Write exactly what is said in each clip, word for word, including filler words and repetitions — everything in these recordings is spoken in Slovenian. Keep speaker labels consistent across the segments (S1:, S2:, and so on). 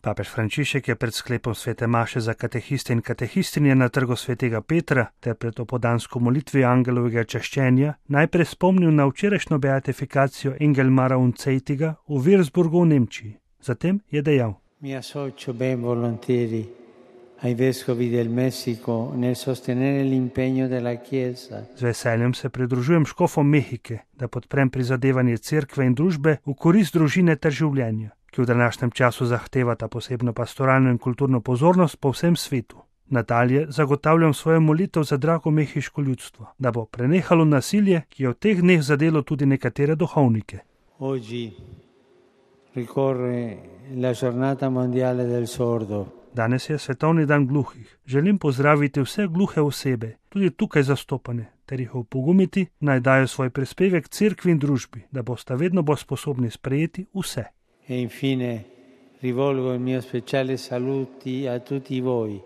S1: Papež Frančišek je pred sklepom svete maše za katehiste in katehistinje na trgu svetega Petra ter pred opodansko molitvijo angelovega čaščenja najprej spomnil na včerajšnjo beatifikacijo Engelmara Uncetiga v Würzburgu v Nemčiji. Zatem je dejal:
S2: Mi associo ben volentieri ai vescovi del Messico nel sostenere l'impegno della Chiesa.
S1: Z veseljem se pridružujem škofom Mehike, da podprem prizadevanje cerkve in družbe v korist družine ter življenja, ki v današnjem času zahtevata posebno pastoralno in kulturno pozornost po vsem svetu. Nadalje zagotavljam svojo molitev za drago mehiško ljudstvo, da bo prenehalo nasilje, ki je v teh dneh zadelo tudi nekatere duhovnike.
S2: Oggi ricorre la giornata mondiale del sordo.
S1: Danes je svetovni dan gluhih. Želim pozdraviti vse gluhe osebe, tudi tukaj zastopane, ter jih opogumiti, naj dajo svoj prispevek cerkvi in družbi, da bosta vedno bolj sposobni sprejeti vse.
S2: E infine rivolgo il mio speciale saluti a tutti voi,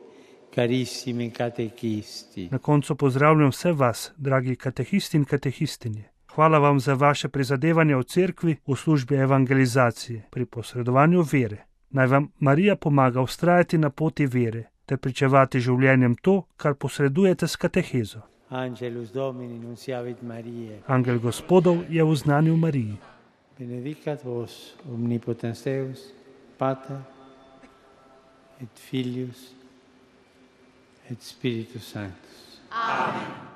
S2: carissimi catechisti.
S1: Na koncu pozdravljam vse vas, dragi katehisti in katehistinje. Hvala vam za vaše prizadevanje v cerkvi v službi evangelizacije pri posredovanju vere. Naj vam Marija pomaga vztrajati na poti vere ter pričevati življenjem to, kar posredujete s katehezo.
S2: Angelus Domini nunciavit Mariae.
S1: Angel Gospodov je vznanil Mariji.
S2: Benedicat vos omnipotens Deus, Pater et Filius et Spiritus Sanctus.
S3: Amen.